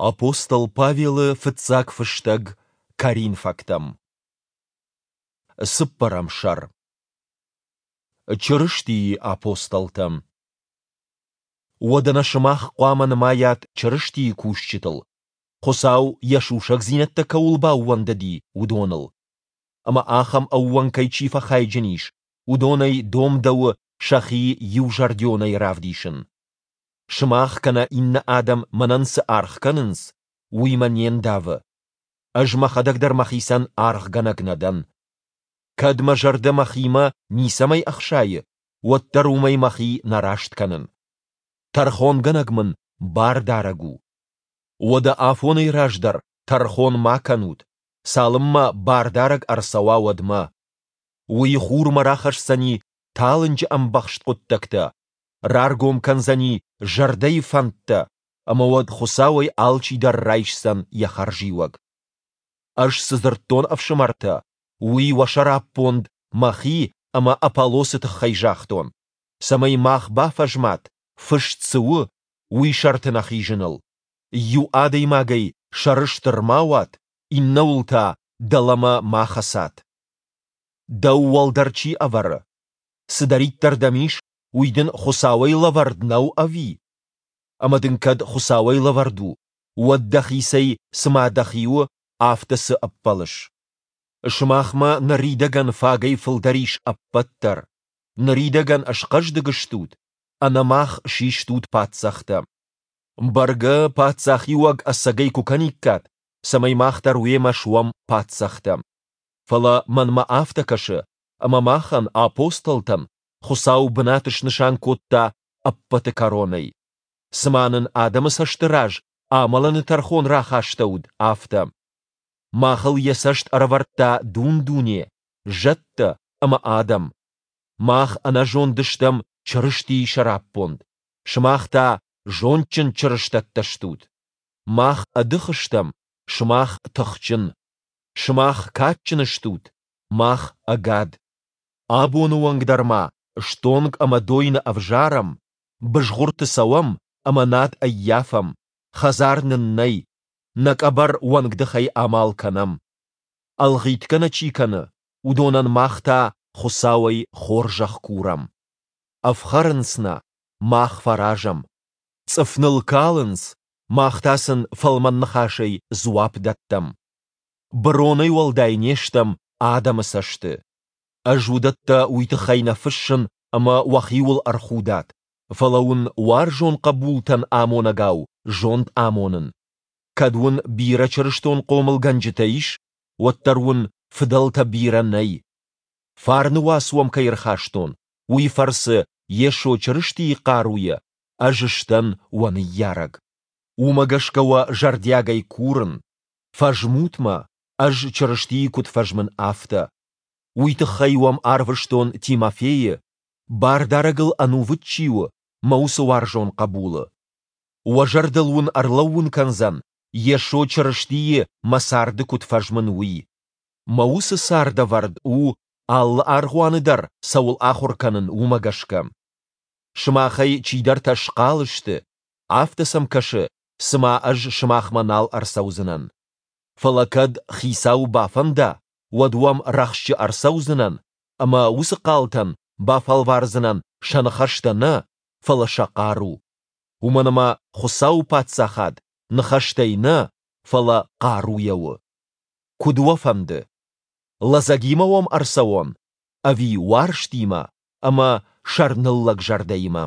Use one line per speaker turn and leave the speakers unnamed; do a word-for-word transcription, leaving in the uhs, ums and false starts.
Апостол Павелы фыццаг фыстӕг Коринфӕгтӕм. Цыппӕрӕм сӕр. Чырыстийы апостолтӕ. Уӕдӕ нӕ сымах хъуамӕ нымайат Чырыстийы кусджытыл, Хуыцау йӕ сусӕгдзинӕдтӕ кӕуыл баууӕндыди, уыдоныл. Ӕмӕ ахӕм ӕууӕнкӕй чи фӕхайджын ис, уыдонӕй домдӕуы сӕхи иузӕрдионӕй равдисын. Сымах кӕнӕ иннӕ адӕм мӕнӕн цы аргъ кӕнынц, уый мӕ не ндавы. Ӕз мӕхӕдӕг дӕр мӕхицӕн аргъгӕнӕг нӕ дӕн. Кӕд мӕ зӕрдӕ мӕхимӕ ницӕмӕй ӕхсайы, уӕддӕр уымӕй мӕхи нӕ раст кӕнын. Тӕрхонгӕнӕг мын Бардарӕг у. Уӕдӕ афонӕй раздӕр тӕрхон ма кӕнут, цалынмӕ Бардарӕг ӕрцӕуа, уӕдмӕ. Уый хурмӕ рахӕсдзӕни талынджы ӕмбӕхст хъуыддӕгтӕ, раргом кӕндзӕни зӕрдӕйы фӕндтӕ, ӕмӕ уӕд Хуыцауӕй алчидӕр райсдзӕн йӕ хӕрзиуӕг. Ӕз цы дзырдтон, ӕфсымӕртӕ, уый уӕ сӕраппонд мӕхи ӕмӕ Аполлосы тыххӕй загътон, цӕмӕй мах бафӕзмат, фыст цы у, уый сӕрты нӕ хизыныл. Иу адӕймагӕй сӕрыстыр ма уат, иннӕуыл та дӕлӕмӕ ма хӕцат. Дӕу уӕлдӕр чи ӕвӕры? Цыдӕриддӕр дӕм ис, уый дын Хуыцауӕй лӕвӕрд нӕу ӕви? Ӕмӕ дын кӕд Хуыцауӕй лӕвӕрд у, уӕд дӕхицӕй цыма дӕхи у, афтӕ цы ӕппӕлыс? Сымахмӕ ныридӕгӕн фагӕй фылдӕр ис ӕппӕт дӕр. Ныридӕгӕн схъӕздыг стут, ӕнӕ мах систут паддзӕхтӕ. Бӕргӕ, паддзахиуӕг ӕцӕгӕй куы кӕниккат, цӕмӕй мах дӕр уемӕ суӕм паддзӕхтӕ. Фӕлӕ мӕнмӕ афтӕ кӕсы, ӕмӕ махӕн, апостолтӕн, Хуыцау бынат снысан кодта ӕппӕты кӕронӕй. Цыма нын адӕмы цӕсты раз амӕлыны тӕрхон рахастӕуыд, афтӕ. Махыл йӕ цӕст ӕрӕвӕрдта дун-дуне, зӕдтӕ ӕмӕ адӕм. Мах ӕнӕзонд стӕм Чырыстийы сӕраппонд, сымах та зондджын чырыстӕттӕ стут. Мах ӕдых стӕм, сымах тыхджын. Сымах кадджын стут, мах ӕгад. Абоны онг дӕр ма стонг ӕмӕ дойны ӕвзарӕм, бызгъуырты цӕуӕм ӕмӕ над ӕййафӕм, хӕдзар нын нӕй, нӕ къӕбӕр уӕнгдыхӕй амал кӕнӕм. Ӕлгъитгӕ нӕ чи кӕны, уыдонӕн мах та Хуыцауӕй хорзӕх курӕм. Ӕфхӕрынц нӕ, мах фӕразӕм. Цъыф ныл калынц, мах та сын фӕлмӕн ныхасӕй дзуапп дӕттӕм. Быронӕй уӕлдай не стӕм адӕмы цӕсты. Ӕз уыдӕттӕ уый тыххӕй нӕ фыссын, ӕмӕ уӕхиуыл ӕрхудат, фӕлӕ уын уарзон хъӕбултӕн амонӕгау зонд амонын. Кӕд уын бирӕ чырыстон хъомылгӕнджытӕ ис, уӕддӕр уын фыдӕлтӕ бирӕ нӕй. Фарны уац уӕм кӕй ӕрхастон, уый фӕрцы Йесо Чырыстийы хъаруйӕ ӕз сдӕн уӕ ныййарӕг. Уымӕ гӕсгӕ уӕ зӕрдиагӕй курын, фӕзмут мӕ, ӕз Чырыстийы куыд фӕзмын, афтӕ. Уый тыххӕй уӕм арвыстон Тимофейы, Бардарӕгыл ӕнувыд чи у, мӕ уыцы уарзон хъӕбулы. Уӕ зӕрдыл уын ӕрлӕууын кӕндзӕн, Йесо Чырыстийы мӕ царды куыд фӕзмын, уый. Мӕ уыцы цардӕвӕрд у, алы аргъуаны дӕр цӕуыл ахуыр кӕнын, уымӕ гӕсгӕ. Сымахӕй чидӕртӕ схъал сты, афтӕ сӕм кӕсы, цыма ӕз сымахмӕ нал ӕрцӕудзынӕн. Фӕлӕ кӕд Хицауы бафӕнда, уӕд уӕм рӕхджы ӕрцӕудзынӕн ӕмӕ уыцы хъалтӕн бафӕлвардзынӕн сӕ ныхӕстӕ нӕ, фӕлӕ сӕ хъару. Уымӕн ӕмӕ Хуыцауы Паддзахад ныхӕстӕй нӕ, фӕлӕ хъаруйӕ у. Куыд уӕ фӕнды? Лӕдзӕгимӕ уӕм ӕрцӕуон ӕви уарзтимӕ ӕмӕ сӕрныллӕг зӕрдӕимӕ?